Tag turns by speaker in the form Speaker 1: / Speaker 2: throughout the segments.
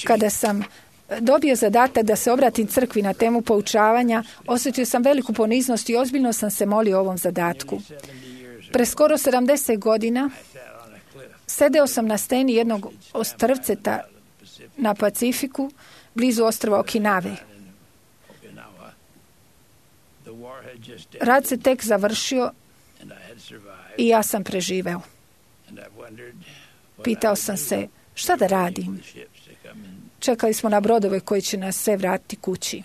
Speaker 1: Kada sam dobio zadatak da se obratim crkvi na temu poučavanja, osjetio sam veliku poniznost i ozbiljno sam se molio o ovom zadatku. Pre skoro 70 godina sedeo sam na steni jednog ostrvceta na Pacifiku, blizu ostrva Okinave. Rat se tek završio i ja sam preživeo. Pitao sam se, šta da radim? Čekali smo na brodove koji će nas sve vratiti kući.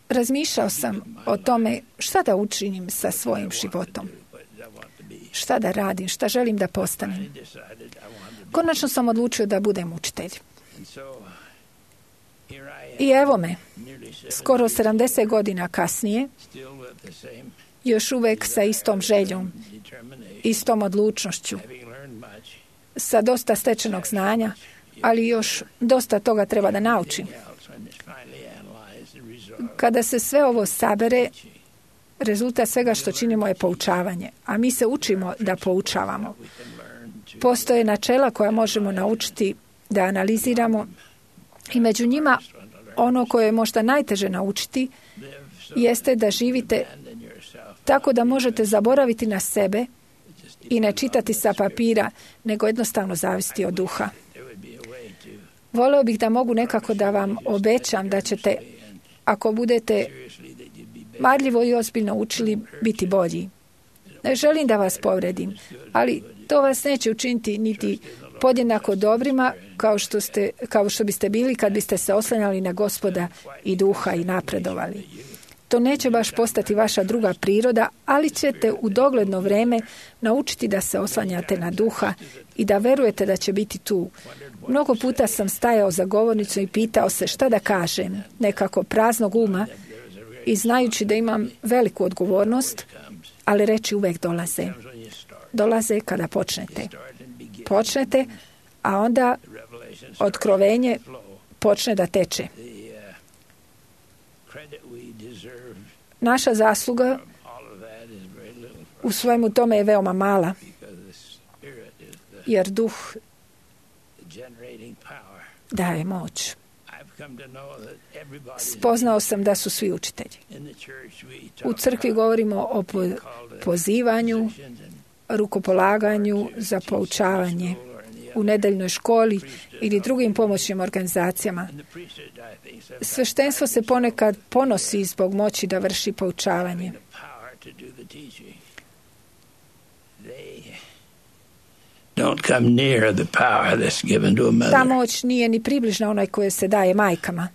Speaker 1: Razmišljao sam o tome šta da učinim sa svojim životom. Šta da radim, šta želim da postanem. Konačno sam odlučio da budem učitelj. I evo me, skoro 70 godina kasnije, još uvek sa istom željom, istom odlučnošću, sa dosta stečenog znanja, ali još dosta toga treba da naučim. Kada se sve ovo sabere, rezultat svega što činimo je poučavanje, a mi se učimo da poučavamo. Postoje načela koja možemo naučiti da analiziramo i među njima ono koje je možda najteže naučiti jeste da živite tako da možete zaboraviti na sebe i ne čitati sa papira, nego jednostavno zavisiti od duha. Voleo bih da mogu nekako da vam obećam da ćete, ako budete marljivo i ozbiljno učili, biti bolji. Ne želim da vas povredim, ali to vas neće učiniti niti podjednako dobrima kao što biste bili kad biste se oslanjali na Gospoda i duha i napredovali. To neće baš postati vaša druga priroda, ali ćete u dogledno vreme naučiti da se oslanjate na duha i da verujete da će biti tu. Mnogo puta sam stajao za govornicu i pitao se šta da kažem, nekako praznog uma, i znajući da imam veliku odgovornost, ali reči uvek dolaze. Dolaze kada počnete. Počnete, a onda otkrovenje počne da teče. Naša zasluga u svemu tome je veoma mala, jer duh daje moć. Spoznao sam da su svi učitelji. U crkvi govorimo o pozivanju, rukopolaganju za poučavanje u nedeljnoj školi ili drugim pomoćnim organizacijama. Sveštenstvo se ponekad ponosi zbog moći da vrši poučavanje. Ta moć nije ni približna onaj koje se daje majkama.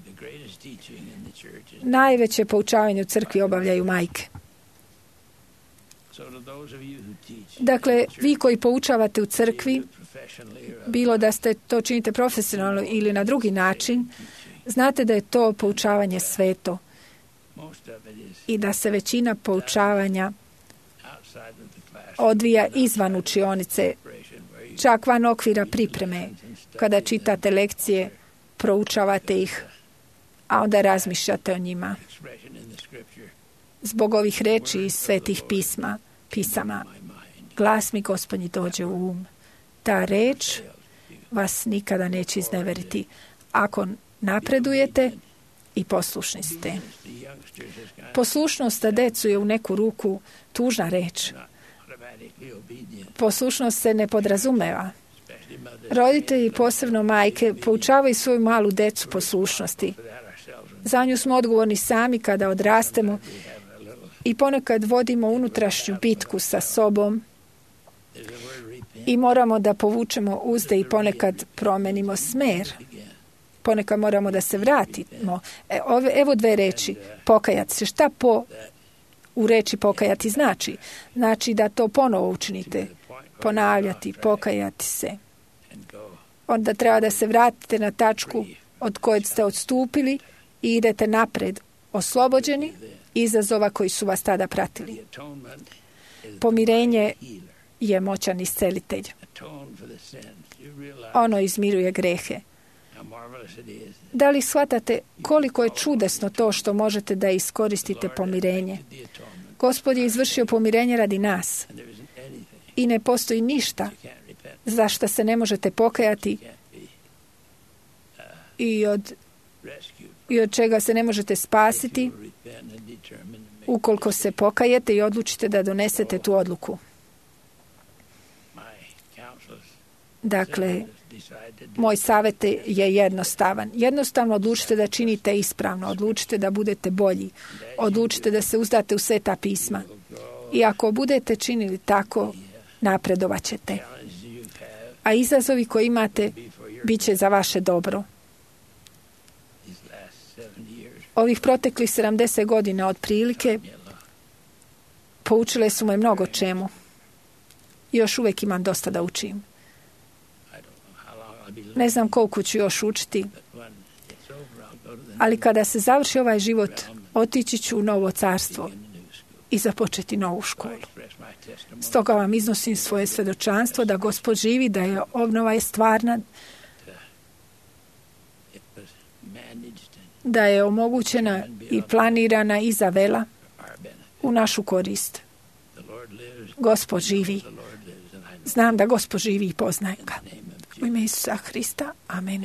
Speaker 1: Najveće poučavanje u crkvi obavljaju majke. Dakle, vi koji poučavate u crkvi, bilo da ste to činite profesionalno ili na drugi način, znate da je to poučavanje sveto i da se većina poučavanja odvija izvan učionice, čak van okvira pripreme. Kada čitate lekcije, proučavate ih, a onda razmišljate o njima. Zbog ovih reči iz svetih pisama, glas mi Gospodnji dođe u um. Ta reč vas nikada neće izneveriti ako napredujete i poslušni ste. Poslušnost za decu je u neku ruku tužna reč. Poslušnost se ne podrazumeva. Roditelji, posebno majke, poučavaju svoju malu decu poslušnosti. Za nju smo odgovorni sami kada odrastemo i ponekad vodimo unutrašnju bitku sa sobom i moramo da povučemo uzde i ponekad promenimo smer. Ponekad moramo da se vratimo. Evo dve reči. Pokajati se. Šta u reči pokajati znači? Znači da to ponovo učinite. Ponavljati, pokajati se. Onda treba da se vratite na tačku od koje ste odstupili i idete napred, oslobođeni izazova koji su vas tada pratili. Pomirenje je moćan iscelitelj. Ono izmiruje grehe. Da li shvatate koliko je čudesno to što možete da iskoristite pomirenje? Gospod je izvršio pomirenje radi nas. I ne postoji ništa za što se ne možete pokajati i od čega se ne možete spasiti ukoliko se pokajete i odlučite da donesete tu odluku. Dakle, moj savjet je jednostavan. Jednostavno odlučite da činite ispravno, odlučite da budete bolji, odlučite da se uzdate u Sveta pisma. I ako budete činili tako, napredovat ćete. A izazovi koje imate bit će za vaše dobro. Ovih proteklih 70 godina otprilike poučile su me mnogo čemu. Još uvijek imam dosta da učim. Ne znam koliko ću još učiti, ali kada se završi ovaj život, otići ću u novo carstvo i započeti novu školu. Stoga vam iznosim svoje svjedočanstvo da Gospod živi, da je obnova je stvarna, da je omogućena i planirana i zavela u našu korist. Gospod živi. Znam da Gospod živi i poznajem ga. U ime Isusa Hrista. Amen.